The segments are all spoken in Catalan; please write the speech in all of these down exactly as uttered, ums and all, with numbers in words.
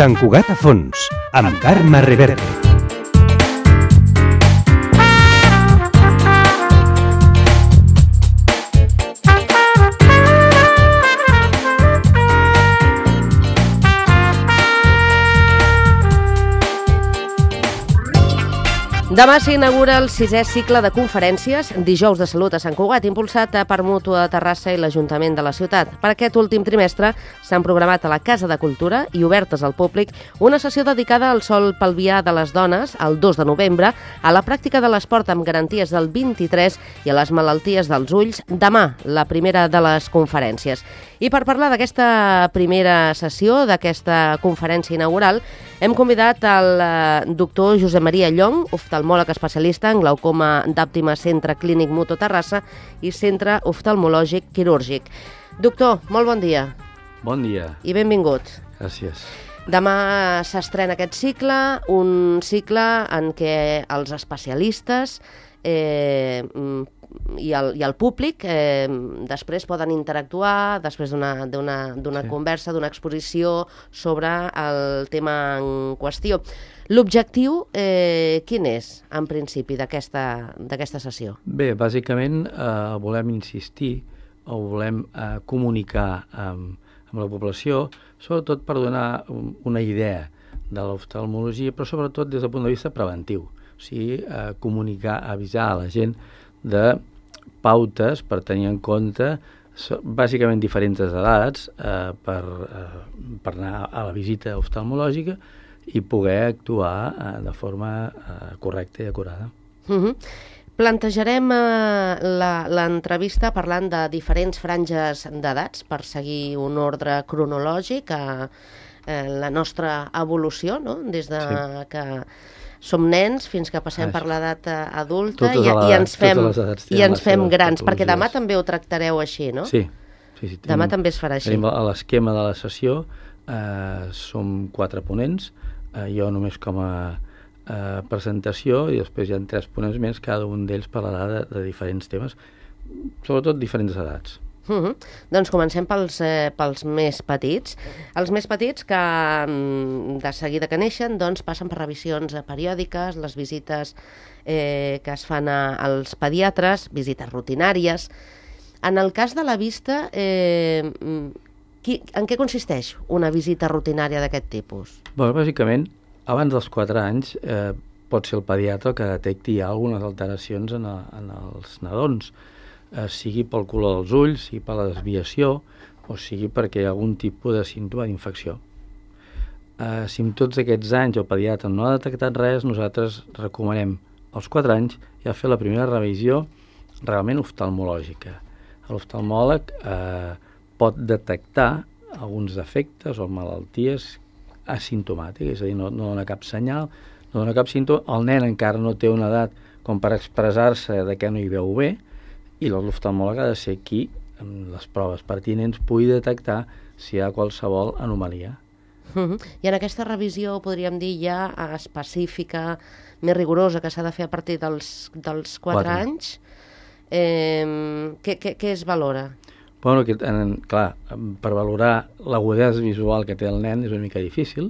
Sant Cugat a fons, amb Carme Reverte. Demà s'inaugura el sisè cicle de conferències Dijous de Salut a Sant Cugat, impulsat per Mútua de Terrassa i l'Ajuntament de la ciutat. Per aquest últim trimestre s'han programat a la Casa de Cultura i obertes al públic una sessió dedicada al sol pelvià de les dones el dos de novembre, a la pràctica de l'esport amb garanties del vint-i-tres i a les malalties dels ulls demà, la primera de les conferències. I per parlar d'aquesta primera sessió, d'aquesta conferència inaugural, hem convidat el doctor Josep Maria Llong, oftalmòleg especialista en glaucoma d'Àptima Centre Clínic Mútua Terrassa i Centre Oftalmològic Quirúrgic. Doctor, molt bon dia. Bon dia. I benvingut. Gràcies. Demà s'estrena aquest cicle, un cicle en què els especialistes eh, i, el, i el públic eh, després poden interactuar després d'una d'una sí. conversa, d'una exposició sobre el tema en qüestió. L'objectiu, eh, quin és, en principi, d'aquesta sessió? Bé, bàsicament eh, volem insistir o volem eh, comunicar amb, amb la població, sobretot per donar una idea de l'oftalmologia, però sobretot des del punt de vista preventiu. O sigui, eh, comunicar, avisar a la gent de pautes per tenir en compte bàsicament diferents edats eh, per, eh, per anar a la visita oftalmològica i poder actuar eh, de forma eh, correcta i acurada. Uh-huh. Plantejarem eh, l'entrevista parlant de diferents franges d'edats per seguir un ordre cronològic a eh, la nostra evolució, no? Des de sí. que som nens fins que passem ah, per l'edat adulta i, i ens fem, i ens fem grans, perquè demà també ho tractareu així, no? Sí. sí, sí demà tenim, també es farà així. Tenim l'esquema de la sessió, eh, som quatre ponents, eh, jo només com a eh, presentació i després hi ha tres ponents més, cada un d'ells parlarà de, de diferents temes, sobretot diferents edats. Uh-huh. Doncs comencem pels, eh, pels més petits. Els més petits que de seguida que neixen doncs, passen per revisions periòdiques, les visites eh, que es fan a, als pediatres, visites rutinàries. En el cas de la vista, eh, qui, en què consisteix una visita rutinària d'aquest tipus? Bé, bàsicament, abans dels quatre anys eh, pot ser el pediatre que detecti algunes alteracions en, a, en els nadons, eh, sigui pel color dels ulls, sigui per la desviació, o sigui perquè hi ha algun tipus de símptoma d'infecció. Eh, si en tots aquests anys el pediatre no ha detectat res, nosaltres recomanem als quatre anys ja fer la primera revisió realment oftalmològica. L'oftalmòleg eh, pot detectar alguns defectes o malalties asimptomàtiques, és a dir, no, no dona cap senyal, no dona cap símptoma, el nen encara no té una edat com per expressar-se de què no hi veu bé, i l'oftalmòleg ha de ser qui, amb les proves pertinents, pugui detectar si hi ha qualsevol anomalia. Uh-huh. I en aquesta revisió, podríem dir, ja específica, més rigorosa, que s'ha de fer a partir dels, dels quatre anys, eh, què, què, què es valora? Bueno, que, en, clar, per valorar l'agudesa visual que té el nen és una mica difícil,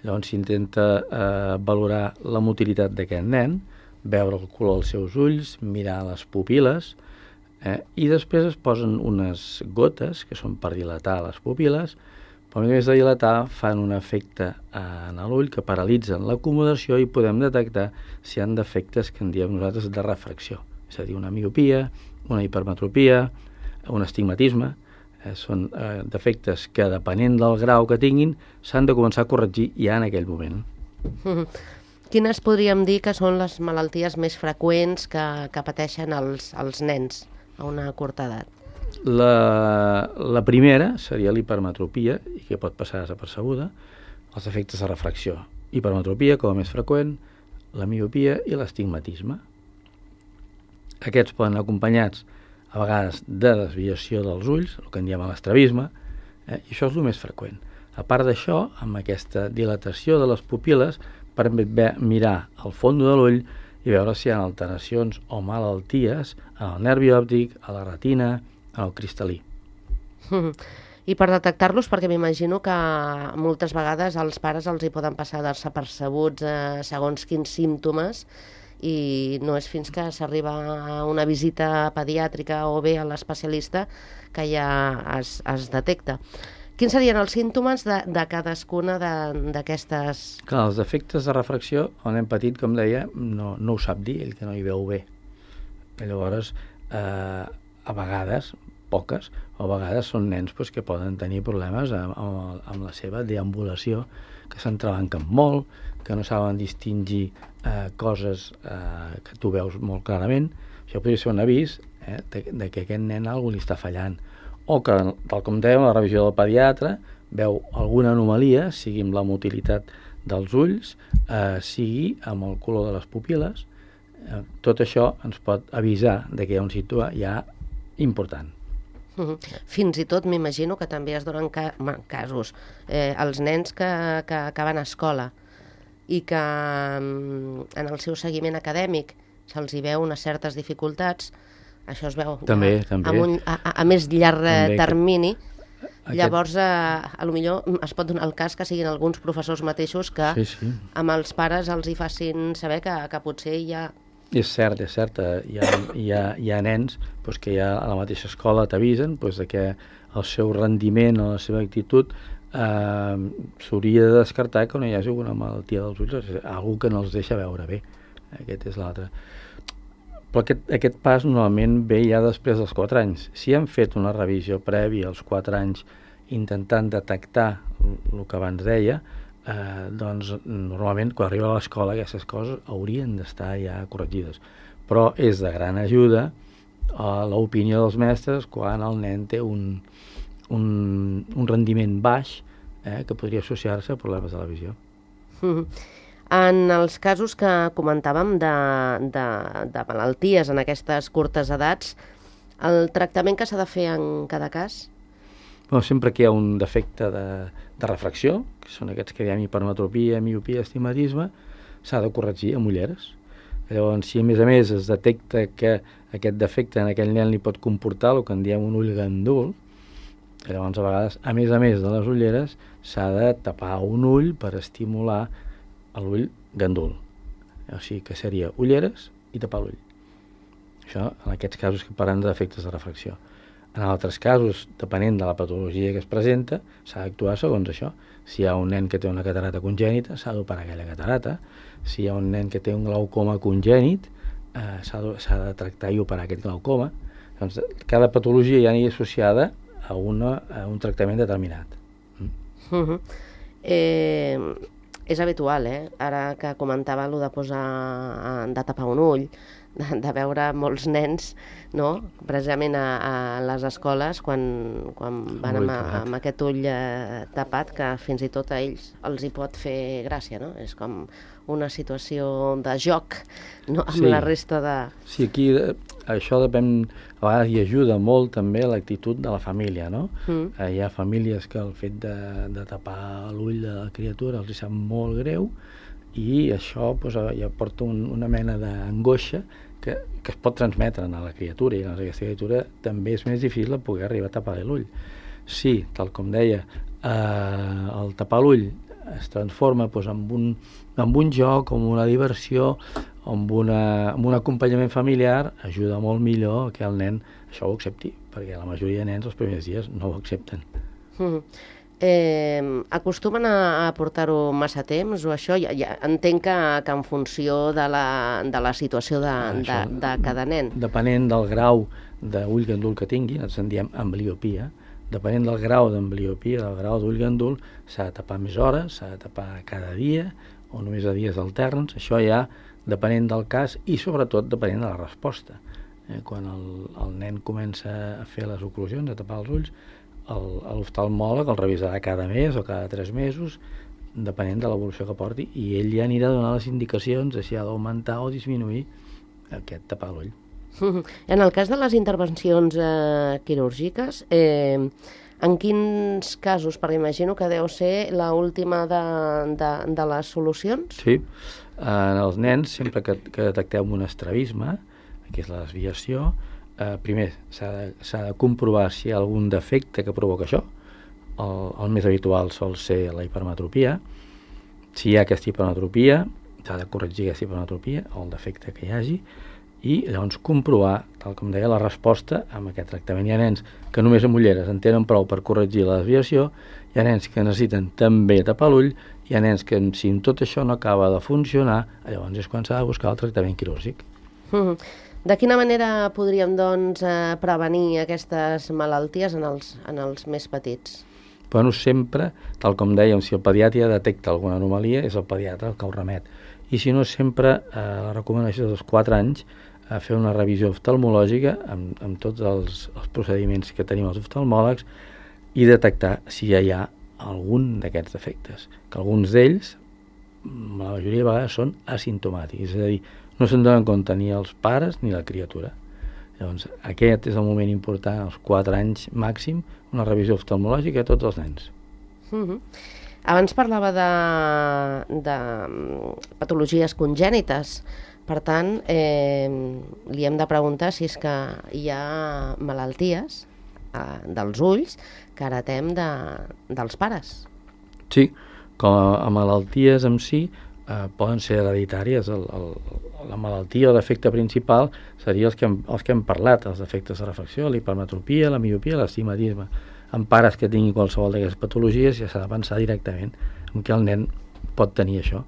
llavors s'intenta eh, valorar la motilitat d'aquest nen, veure el color dels seus ulls, mirar les pupil·les, Eh, i després es posen unes gotes que són per dilatar les pupil·les, però a més de dilatar fan un efecte en l'ull que paralitzen l'acomodació i podem detectar si hi ha defectes que en diem nosaltres de refracció, és a dir, una miopia, una hipermetropia, un astigmatisme, eh, són eh, defectes que depenent del grau que tinguin s'han de començar a corregir ja en aquell moment. Mm-hmm. Quines podríem dir que són les malalties més freqüents que, que pateixen els, els nens a una curta edat? La, la primera seria l'hipermetropia, i que pot passar desapercebuda, els efectes de refracció. Hipermetropia, com a més freqüent, la miopia i l'astigmatisme. Aquests poden anar acompanyats a vegades de desviació dels ulls, el que en diem l'estrabisme, eh, i això és el més freqüent. A part d'això, amb aquesta dilatació de les pupil·les, permet mirar al fons de l'ull i veure si hi ha alteracions o malalties en el nervi òptic, a la retina, en el cristal·lí. I per detectar-los, perquè m'imagino que moltes vegades als pares els hi poden passar desapercebuts eh, segons quins símptomes i no és fins que s'arriba a una visita pediàtrica o bé a l'especialista que ja es, es detecta. Quins serien els símptomes de, de cadascuna d'aquestes... Clar, els defectes de refracció, el nen petit, com deia, no, no ho sap dir, ell que no hi veu bé. I llavors, eh, a vegades, poques, o a vegades són nens pues, que poden tenir problemes amb, amb, amb la seva deambulació, que s'entrebanquen molt, que no saben distingir eh, coses eh, que tu veus molt clarament. Això podria ser un avís eh, de, de que aquest nen algú li està fallant. O que, tal com dèiem, la revisió del pediatre veu alguna anomalia, sigui amb la motilitat dels ulls, eh, sigui amb el color de les pupil·les. Eh, tot això ens pot avisar de que hi ha un símptoma ja important. Fins i tot m'imagino que també es donen ca casos eh, els nens que, que acaben a escola i que en el seu seguiment acadèmic se'ls hi veu unes certes dificultats, això es veu també, a, també. A, un, a, a més llarg també, termini, aquest... llavors a, a lo millor es pot donar el cas que siguin alguns professors mateixos que sí, sí. amb els pares els hi facin saber que, que potser hi ha... És cert, és cert, hi ha, hi ha, hi ha nens pues, que ja a la mateixa escola t'avisen pues, que el seu rendiment o la seva actitud eh, s'hauria de descartar que no hi hagi alguna malaltia dels ulls, algú que no els deixa veure bé. Aquest és l'altre. Però aquest, aquest pas normalment ve ja després dels quatre anys. Si han fet una revisió prèvia als quatre anys intentant detectar el que abans deia, Eh, doncs normalment quan arriba a l'escola aquestes coses haurien d'estar ja corregides, però és de gran ajuda a l'opinió dels mestres quan el nen té un, un, un rendiment baix eh, que podria associar-se a problemes de la visió. Mm-hmm. En els casos que comentàvem de, de, de malalties en aquestes curtes edats, el tractament que s'ha de fer en cada cas? Bueno, sempre que hi ha un defecte de, de refracció, que són aquests que diem hipermetropia, miopia, astigmatisme, s'ha de corregir amb ulleres. Llavors, si a més a més es detecta que aquest defecte en aquell nen li pot comportar el que en diem un ull gandul, llavors a vegades, a més a més de les ulleres, s'ha de tapar un ull per estimular l'ull gandul. O sigui que seria ulleres i tapar l'ull. Això en aquests casos que parlen de defectes de refracció. En altres casos, depenent de la patologia que es presenta, s'ha d'actuar segons això. Si hi ha un nen que té una catarata congènita, s'ha d'operar aquella catarata. Si hi ha un nen que té un glaucoma congènit, eh, s'ha de, de tractar i operar aquest glaucoma. Doncs cada patologia ja anirà associada a, una, a un tractament determinat. Mm. Uh-huh. eh, és habitual, eh? Ara que comentava allò de posar, de tapar un ull, de, de veure molts nens, no? Precisament a, a les escoles quan, quan van amb, amb aquest ull eh, tapat, que fins i tot a ells els hi pot fer gràcia, no? És com una situació de joc, no? Amb sí. La resta de... Sí, aquí eh, això depèn, a vegades hi ajuda molt també l'actitud de la família, no? Mm. Eh, hi ha famílies que el fet de, de tapar l'ull de la criatura els hi sap molt greu, i això pues, ja porta un, una mena d'angoixa que, que es pot transmetre a la criatura, i doncs, aquesta criatura també és més difícil poder arribar a tapar l'ull. Sí, tal com deia, eh, el tapar l'ull es transforma pues, en, un, en un joc, en una diversió, amb, una, amb un acompanyament familiar, ajuda molt millor que el nen això ho accepti, perquè la majoria de nens els primers dies no ho accepten. Mm. Eh, acostumen a, a portar-ho massa temps o això? Ja, ja entenc que, que en funció de la, de la situació de, de, de cada nen. Depenent del grau d'ull gandul que tingui, nosaltres en diem ambliopia, depenent del grau d'ambliopia, del grau d'ull gandul, s'ha de tapar més hores, s'ha de tapar cada dia o només a dies alterns. Això ja depenent del cas i sobretot depenent de la resposta. Eh, quan el, el nen comença a fer les oclusions, a tapar els ulls, l'oftalmòleg el revisarà cada mes o cada tres mesos, depenent de l'evolució que porti, i ell ja anirà a donar les indicacions de si ha d'augmentar o disminuir aquest tapar l'ull. En el cas de les intervencions eh, quirúrgiques, eh, en quins casos? Perquè imagino que deu ser l'última de, de, de les solucions. Sí, en els nens, sempre que, que detectem un estrabisme, que és la desviació, Eh, primer s'ha de, s'ha de comprovar si hi ha algun defecte que provoca això. el, el més habitual sol ser la hipermetropia. Si hi ha aquesta hipermetropia, s'ha de corregir aquesta hipermetropia o el defecte que hi hagi, i llavors comprovar, tal com deia, la resposta amb aquest tractament. Hi ha nens que només amb ulleres en tenen prou per corregir la desviació, hi ha nens que necessiten també tapar l'ull, hi ha nens que si tot això no acaba de funcionar, llavors és quan s'ha de buscar el tractament quirúrgic. Mm. De quina manera podríem, doncs, eh, prevenir aquestes malalties en els, en els més petits? Bueno, sempre, tal com dèiem, si el pediatre detecta alguna anomalia, és el pediatre el que ho remet. I si no, sempre eh, la recomanació dels quatre anys a fer una revisió oftalmològica amb, amb tots els, els procediments que tenim els oftalmòlegs i detectar si ja hi ha algun d'aquests defectes, que alguns d'ells, la majoria de vegades, són asimptomàtics, és a dir, no se'n donen compte ni els pares ni la criatura. Llavors, aquest és el moment important, als quatre anys màxim, una revisió oftalmològica a tots els nens. Mm-hmm. Abans parlava de, de patologies congènites. Per tant, eh, li hem de preguntar si és que hi ha malalties eh, dels ulls que heretem de, dels pares. Sí, com a, a malalties en si eh, poden ser hereditàries. El, el, la malaltia o defecte principal seria els que, hem, els que hem parlat, els defectes de refracció, la hipermetropia, la miopia, l'astigmatisme. En pares que tinguin qualsevol d'aquestes patologies ja s'ha de pensar directament en què el nen pot tenir això.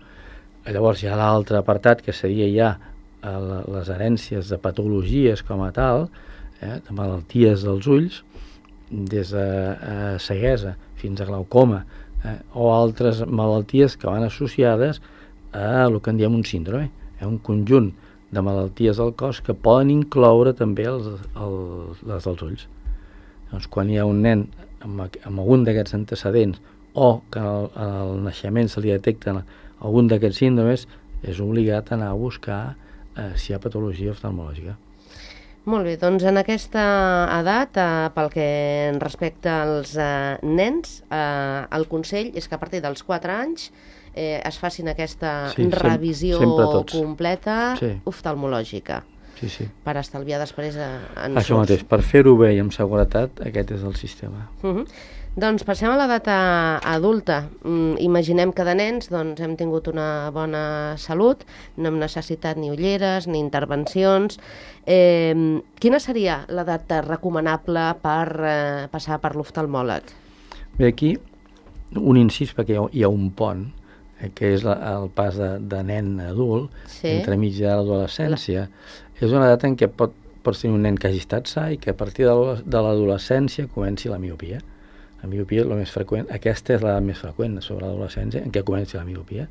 Llavors hi ha l'altre apartat que seria ja eh, les herències de patologies com a tal, eh, de malalties dels ulls, des de eh, ceguesa fins a glaucoma, eh, o altres malalties que van associades a el que en diem un síndrome, eh, un conjunt de malalties del cos que poden incloure també els, els, les dels ulls. Doncs quan hi ha un nen amb, amb algun d'aquests antecedents o que en el, en el naixement se li detecten algun d'aquests síndromes, és obligat a anar a buscar eh, si hi ha patologia oftalmològica. Molt bé, doncs en aquesta edat, eh, pel que respecta als eh, nens, eh, el consell és que a partir dels quatre anys eh, es facin aquesta sí, revisió sem completa sí. oftalmològica. Sí, sí. Per estalviar després a, en Això mateix, per fer-ho bé i amb seguretat, aquest és el sistema. Uh-huh. Doncs passem a l'edat adulta. Mm, imaginem que de nens doncs, hem tingut una bona salut, no hem necessitat ni ulleres ni intervencions. Eh, quina seria l'edat recomanable per eh, passar per l'oftalmòleg? Bé, aquí un incís, perquè hi ha, hi ha un pont, eh, que és la, el pas de, de nen a adult, sí. Entre mig de l'adolescència. La... És una edat en què pot, pots tenir un nen que hagi estat sa i que a partir de l'adolescència comenci la miopia. La miopia és la més freqüent, aquesta és la més freqüent sobre l'adolescència en què comenci la miopia.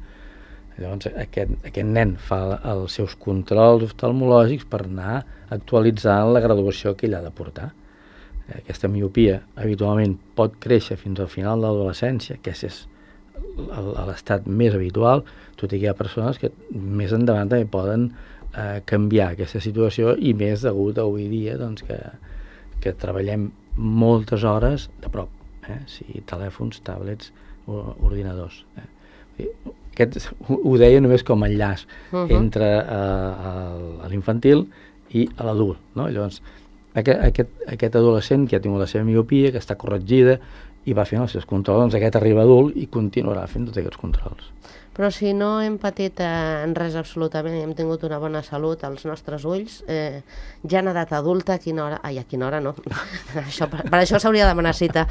Llavors aquest, aquest nen fa els seus controls oftalmològics per anar actualitzant la graduació que ell ha de portar. Aquesta miopia habitualment pot créixer fins al final de l'adolescència, que és l'estat més habitual, tot i que hi ha persones que més endavant també poden eh, canviar aquesta situació i més degut a avui dia doncs, que, que treballem moltes hores de prop. Eh? Sí, telèfons, tablets, ordinadors. Eh? Aquest, ho deia només com a enllaç uh-huh. entre uh, l'infantil i l'adult. No? Llavors, aquest, aquest, aquest adolescent que ha tingut la seva miopia, que està corregida i va fent els seus controls, doncs aquest arriba adult i continuarà fent tots aquests controls. Però si no hem patit eh, en res absolutament i hem tingut una bona salut als nostres ulls, eh, ja en edat adulta, a quina hora... Ai, a quina hora no. això, per, per això s'hauria de demanar cita.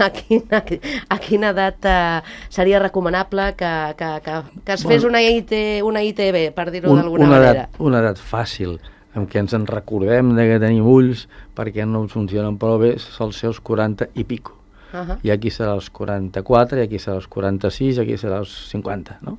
A quina, a quina edat eh, seria recomanable que, que, que, que es fes una, I T, una I T B, per dir-ho un, d'alguna una manera? Edat, una edat fàcil, en què ens en recordem de que tenim ulls perquè no funcionen prou bé, són els seus quaranta i pico. Uh-huh. I aquí serà els quaranta-quatre, i aquí serà els quaranta-sis, i aquí serà els cinquanta, no?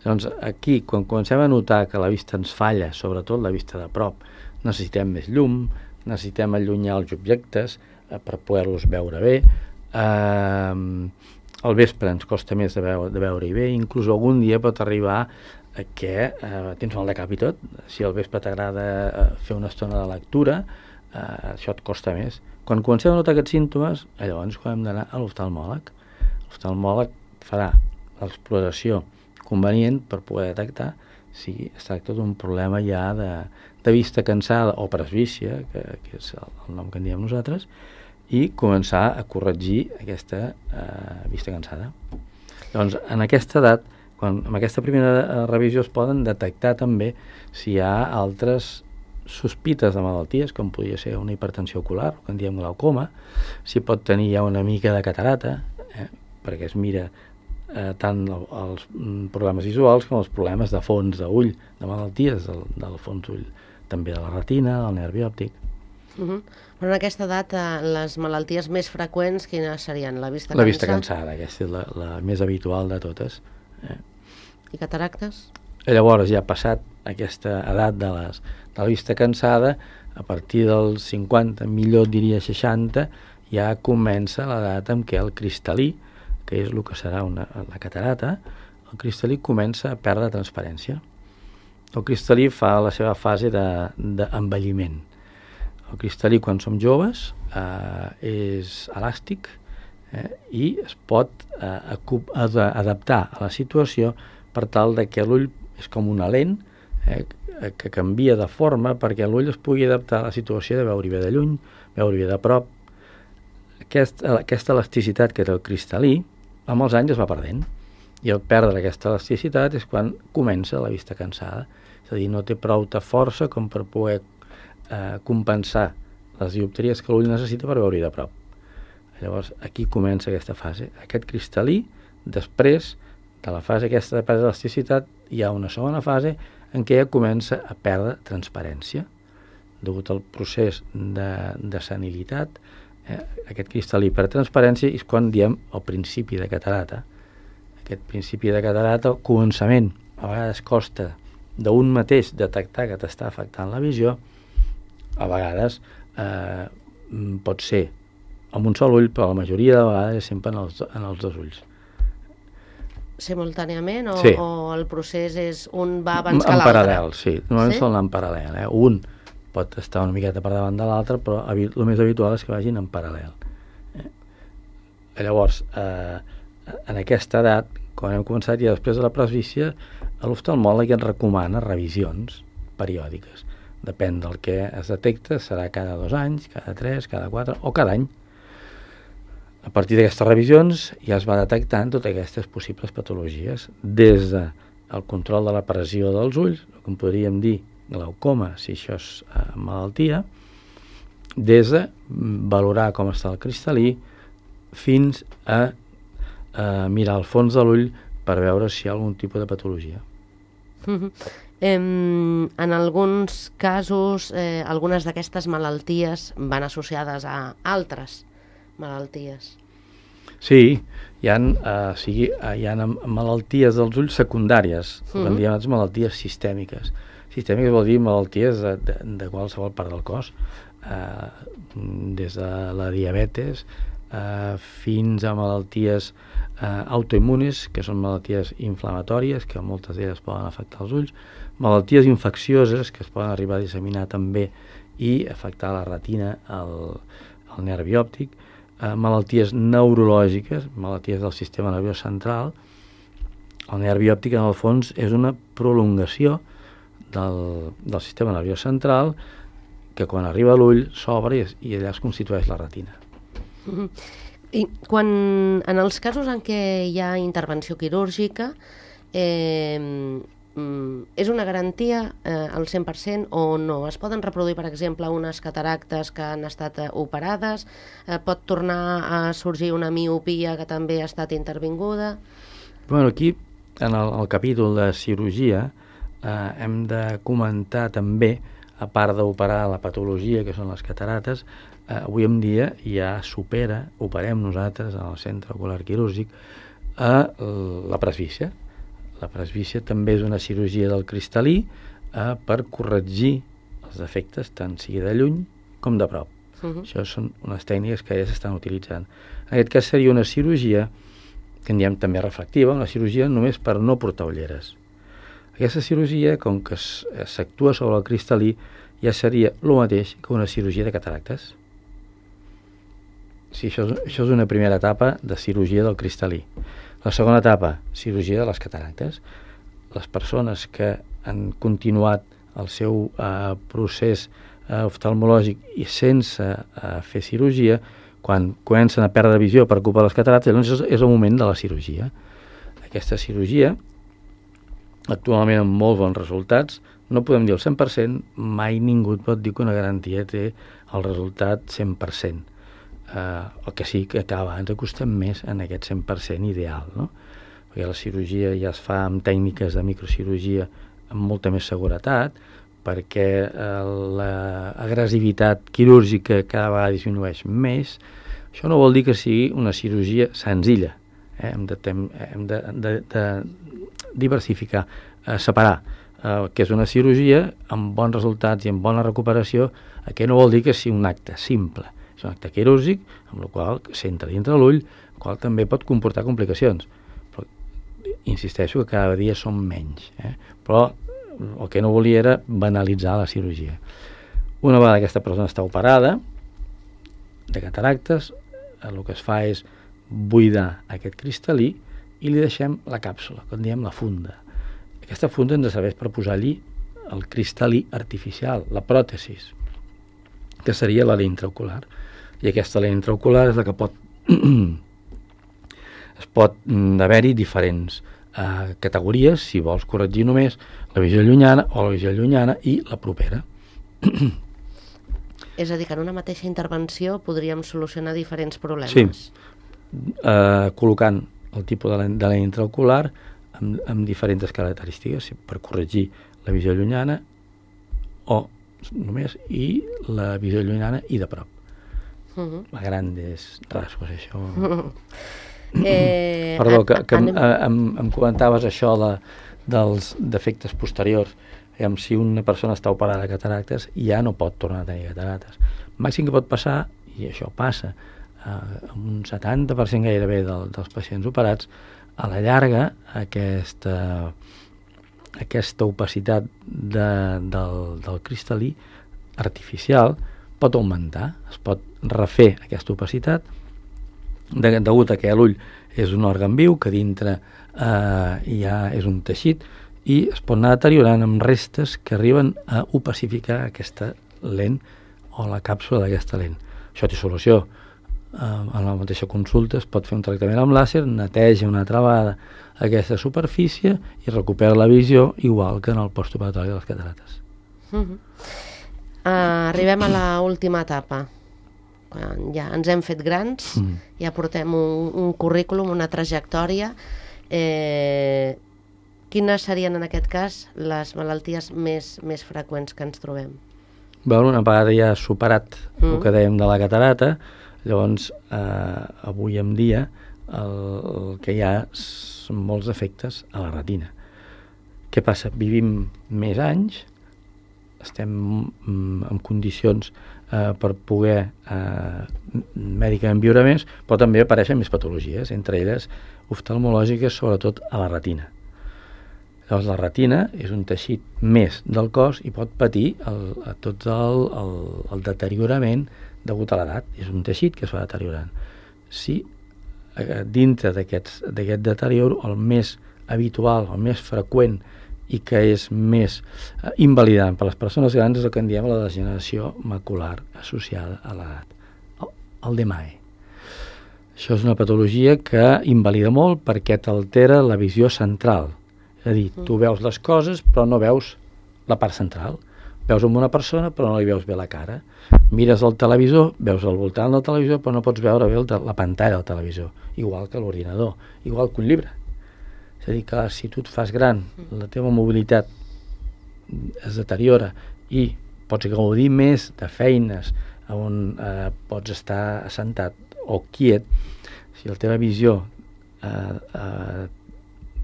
Llavors, aquí, quan comencem a notar que la vista ens falla, sobretot la vista de prop, necessitem més llum, necessitem allunyar els objectes eh, per poder-los veure bé, eh, al vespre ens costa més de, veure, de veure-hi bé, inclús algun dia pot arribar a que eh, tens mal de cap i tot, si al vespre t'agrada eh, fer una estona de lectura, eh, això et costa més. Quan comencem a notar aquests símptomes, llavors hem d'anar a l'oftalmòleg. L'oftalmòleg farà l'exploració convenient per poder detectar si es tracta d'un problema ja de, de vista cansada o presbícia, que, que és el, el nom que en diem nosaltres, i començar a corregir aquesta eh, vista cansada. Doncs en aquesta edat, quan, amb aquesta primera revisió es poden detectar també si hi ha altres sospites de malalties, com podria ser una hipertensió ocular, que en diem glaucoma, si pot tenir ja una mica de catarata, eh, perquè es mira eh, tant el, els problemes visuals com els problemes de fons d'ull, de malalties del, del fons d'ull, també de la retina, del nervi òptic. Uh -huh. Però en aquesta edat, eh, les malalties més freqüents, quines serien? La vista La cansada? vista cansada, aquesta és la, la més habitual de totes. Eh. I cataractes? I llavors, ja passat aquesta edat de, les, de la vista cansada, a partir dels cinquanta, millor diria seixanta, ja comença l'edat en què el cristal·lí, que és el que serà una, la catarata, el cristal·lí comença a perdre transparència. El cristal·lí fa la seva fase d'envelliment. De, el cristal·lí, quan som joves, eh, és elàstic eh, i es pot eh, adaptar a la situació per tal de que l'ull és com una lent eh, que canvia de forma perquè l'ull es pugui adaptar a la situació de veure bé de lluny, veure bé de prop. Aquest, aquesta elasticitat que té el cristal·lí, amb els anys es va perdent. I el perdre aquesta elasticitat és quan comença la vista cansada. És a dir, no té prou de força com per poder eh, compensar les dioptries que l'ull necessita per veure-hi de prop. Llavors, aquí comença aquesta fase. Aquest cristal·lí, després de la fase aquesta de perdre elasticitat, hi ha una segona fase en què ja comença a perdre transparència. Degut al procés de, de senilitat, eh, aquest cristal·lí perd transparència i és quan diem el principi de catarata. Aquest principi de catarata, el començament, a vegades costa d'un mateix detectar que t'està afectant la visió, a vegades eh, pot ser amb un sol ull, però la majoria de vegades és sempre en els, en els dos ulls. Simultàniament o, sí. o el procés és un va abans que l'altre? En paral·lel, sí. Normalment sí? són en paral·lel. Eh? Un pot estar una miqueta per davant de l'altre, però el més habitual és que vagin en paral·lel. Eh? Llavors, eh, en aquesta edat, quan hem començat ja després de la presbícia, l'oftalmòleg ens recomana revisions periòdiques. Depèn del que es detecta, serà cada dos anys, cada tres, cada quatre o cada any. A partir d'aquestes revisions ja es va detectant totes aquestes possibles patologies, des del control de la pressió dels ulls, com podríem dir glaucoma, si això és eh, malaltia, des de valorar com està el cristal·lí fins a eh, mirar al fons de l'ull per veure si hi ha algun tipus de patologia. Uh-huh. em, en alguns casos, eh, algunes d'aquestes malalties van associades a altres malalties. Sí, hi ha, eh, sigui, hi ha malalties dels ulls secundàries, uh-huh. en diem malalties sistèmiques. Sistèmiques vol dir malalties de, de, de qualsevol part del cos, eh, des de la diabetes eh, fins a malalties eh, autoimmunes, que són malalties inflamatòries, que moltes d'elles poden afectar els ulls, malalties infeccioses, que es poden arribar a disseminar també i afectar la retina, el, el nervi òptic, eh, malalties neurològiques, malalties del sistema nerviós central. El nervi òptic, en el fons, és una prolongació del, del sistema nerviós central que quan arriba a l'ull s'obre i, i allà es constitueix la retina. Mm-hmm. I quan, en els casos en què hi ha intervenció quirúrgica, eh, és una garantia eh, al cent per cent o no? Es poden reproduir, per exemple, unes cataractes que han estat eh, operades? Eh, pot tornar a sorgir una miopia que també ha estat intervinguda? Bueno, aquí, en el, el capítol de cirurgia, eh, hem de comentar també, a part d'operar la patologia, que són les catarates, eh, avui en dia ja supera, operem nosaltres en el centre ocular quirúrgic, a la presbícia. La presbícia també és una cirurgia del cristal·lí eh, per corregir els defectes, tant sigui de lluny com de prop. Uh-huh. Això són unes tècniques que ja s'estan utilitzant. En aquest cas seria una cirurgia, que en diem també refractiva, una cirurgia només per no portar ulleres. Aquesta cirurgia, com que s'actua sobre el cristal·lí, ja seria el mateix que una cirurgia de cataractes. Sí, això, és, això és una primera etapa de cirurgia del cristal·lí. La segona etapa, cirurgia de les cataractes. Les persones que han continuat el seu eh, procés eh, oftalmològic i sense eh, fer cirurgia Quan comencen a perdre visió per culpa de les catarates, llavors és, és el moment de la cirurgia. Aquesta cirurgia, actualment amb molts bons resultats, no podem dir el cent per cent, mai ningú pot dir que una garantia té el resultat cent per cent. Uh, el que sí que cada vegada ens acostem més en aquest cent per cent ideal, no? Perquè la cirurgia ja es fa amb tècniques de microcirurgia amb molta més seguretat, perquè uh, l'agressivitat quirúrgica cada vegada disminueix més. Això no vol dir que sigui una cirurgia senzilla. Eh? Hem de, hem de, de, de diversificar, uh, separar uh, que és una cirurgia amb bons resultats i amb bona recuperació. Aquest no vol dir que sigui un acte simple. És un acte quirúrgic, amb el qual s'entra dintre l'ull, el qual també pot comportar complicacions. Però insisteixo que cada dia són menys. Eh? Però el que no volia era banalitzar la cirurgia. Una vegada aquesta persona està operada de cataractes, el que es fa és buidar aquest cristal·lí i li deixem la càpsula, que en diem la funda. Aquesta funda ens serveix per posar allí el cristal·lí artificial, la pròtesis, que seria la lent intraocular. I aquesta lent intraocular és la que pot es pot haver-hi diferents Uh, categories, si vols corregir només la visió llunyana o la visió llunyana i la propera. És a dir, que en una mateixa intervenció podríem solucionar diferents problemes. Sí, uh, col·locant el tipus de lent, de lent intraocular amb, amb diferents característiques per corregir la visió llunyana o només i la visió llunyana i de prop. Uh-huh. A grandes rasgos, això. Uh-huh. Eh, Perdó, que, que anem... em, em comentaves això de, dels defectes posteriors. Em, si una persona està operada de cataractes, ja no pot tornar a tenir cataractes. El màxim que pot passar, i això passa, eh, amb un setanta per cent gairebé del, dels pacients operats, a la llarga aquesta, aquesta opacitat de, del, del cristal·lí artificial pot augmentar, es pot refer aquesta opacitat, De, degut a que l'ull és un òrgan viu, que dintre eh, ja és un teixit, i es pot anar deteriorant amb restes que arriben a opacificar aquesta lent o la càpsula d'aquesta lent. Això té solució. Eh, en la mateixa consulta es pot fer un tractament amb làser, neteja una altra vegada aquesta superfície i recupera la visió igual que en el postoperatori de les catarates. Uh-huh. uh, arribem a l'última etapa. Ja ens hem fet grans, mm. ja portem un, un currículum, una trajectòria. Eh, quines serien en aquest cas les malalties més, més freqüents que ens trobem? Bé, una vegada ja superat mm. el que dèiem de la catarata, llavors eh, avui en dia el, el que hi ha són molts efectes a la retina. Què passa? Vivim més anys, estem en condicions eh, per poder eh, mèdicament viure més, però també apareixen més patologies, entre elles oftalmològiques, sobretot a la retina. Llavors la retina és un teixit més del cos i pot patir el, a tot el, el, el deteriorament degut a l'edat. És un teixit que es va deteriorant. Si eh, dintre d'aquest deterior, el més habitual, el més freqüent i que és més eh, invalidant per a les persones grans és el que en diem la degeneració macular associada a l'edat, el, el D M A E. Això és una patologia que invalida molt perquè t'altera la visió central. És a dir, tu veus les coses però no veus la part central. Veus amb una persona però no li veus bé la cara. Mires el televisor, veus al voltant del televisor però no pots veure bé el, la pantalla del televisor, igual que l'ordinador, igual que un llibre. És a dir, que si tu et fas gran, la teva mobilitat es deteriora i pots gaudir més de feines on eh, pots estar assentat o quiet, si la teva visió eh, eh,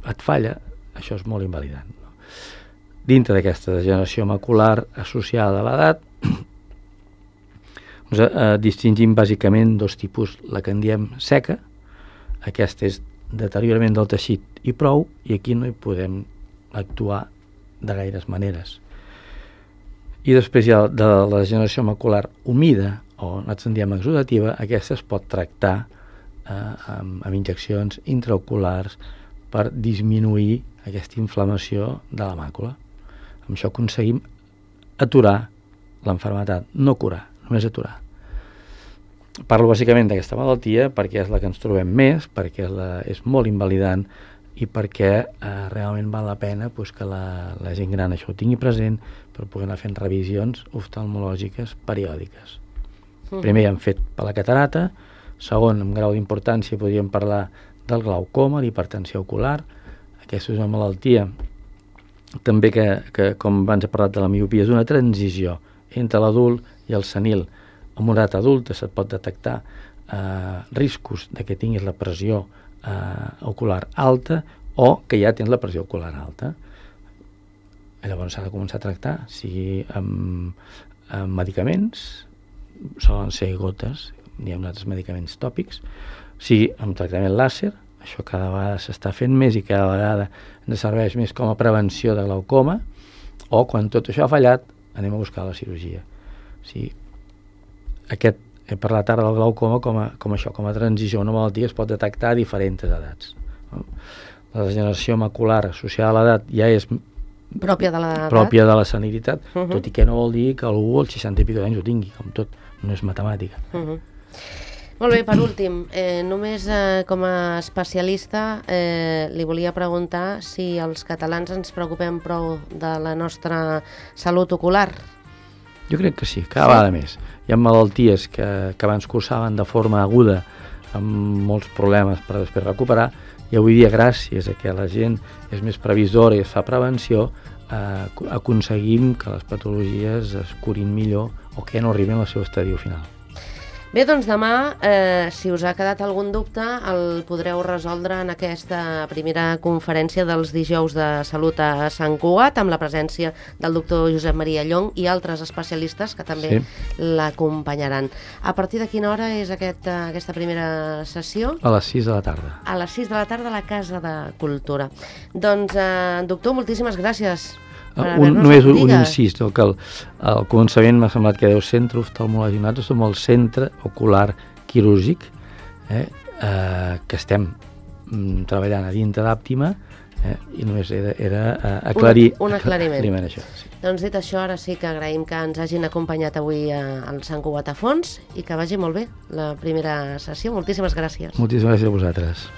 et falla, això és molt invalidant. No? Dintre d'aquesta degeneració macular associada a l'edat, doncs, eh, distingim bàsicament dos tipus, la que en diem seca, aquesta és deteriorament del teixit i prou, i aquí no hi podem actuar de gaires maneres. I després hi ha de la degeneració macular humida, o nosaltres en diem exudativa, aquesta es pot tractar eh, amb, amb injeccions intraoculars per disminuir aquesta inflamació de la màcula. Amb això aconseguim aturar l'enfermetat, no curar, només aturar. parlo bàsicament d'aquesta malaltia perquè és la que ens trobem més, perquè és, la, és molt invalidant i perquè eh, realment val la pena pues, que la, la gent gran això ho tingui present per poder anar fent revisions oftalmològiques periòdiques. Uh-huh. Primer hem fet per la catarata, segon, amb grau d'importància podríem parlar del glaucoma, l'hipertensió ocular. Aquesta és una malaltia també que, que com abans he parlat de la miopia, és una transició entre l'adult i el senil. En una edat adulta se't pot detectar eh, riscos de que tinguis la pressió eh, ocular alta o que ja tens la pressió ocular alta. Llavors s'ha de començar a tractar, sigui amb, amb medicaments, solen ser gotes, hi ha uns altres medicaments tòpics, sigui amb tractament làser, això cada vegada s'està fent més i cada vegada ens serveix més com a prevenció de glaucoma, o quan tot això ha fallat anem a buscar la cirurgia. O sigui, aquest, he parlat ara del glaucoma com a, com això, com a transició, una malaltia es pot detectar a diferents edats. La degeneració macular associada a l'edat ja és pròpia de l'edat, pròpia de la senilitat, uh-huh. tot i que no vol dir que algú als seixanta i pico d'anys ho tingui, com tot, no és matemàtica. Uh-huh. Molt bé, per últim, eh, només eh, com a especialista eh, li volia preguntar si els catalans ens preocupem prou de la nostra salut ocular. Jo crec que sí, cada vegada més. Hi ha malalties que, que abans cursaven de forma aguda amb molts problemes per després recuperar, i avui dia, gràcies a que la gent és més previsora i es fa prevenció, eh, aconseguim que les patologies es curin millor o que no arribin al seu estadi final. Bé, doncs demà, eh, si us ha quedat algun dubte, el podreu resoldre en aquesta primera conferència dels dijous de salut a Sant Cugat, amb la presència del doctor Josep Maria Llong i altres especialistes que també sí. l'acompanyaran. A partir de quina hora és aquest, aquesta primera sessió? A les sis de la tarda. A les sis de la tarda a la Casa de Cultura. Doncs, eh, doctor, moltíssimes gràcies. Un, només un, un incís, no, que al, al començament m'ha semblat que deu centre oftalmològic. Nosaltres som el centre ocular quirúrgic, eh, eh, que estem mm, treballant a dintre d'Àptima, eh, i només era, era eh, aclarir, un, un aclariment. aclariment això. Sí. Doncs dit això, ara sí que agraïm que ens hagin acompanyat avui al Sant Cugat a Fons i que vagi molt bé la primera sessió. Moltíssimes gràcies. Moltíssimes gràcies a vosaltres.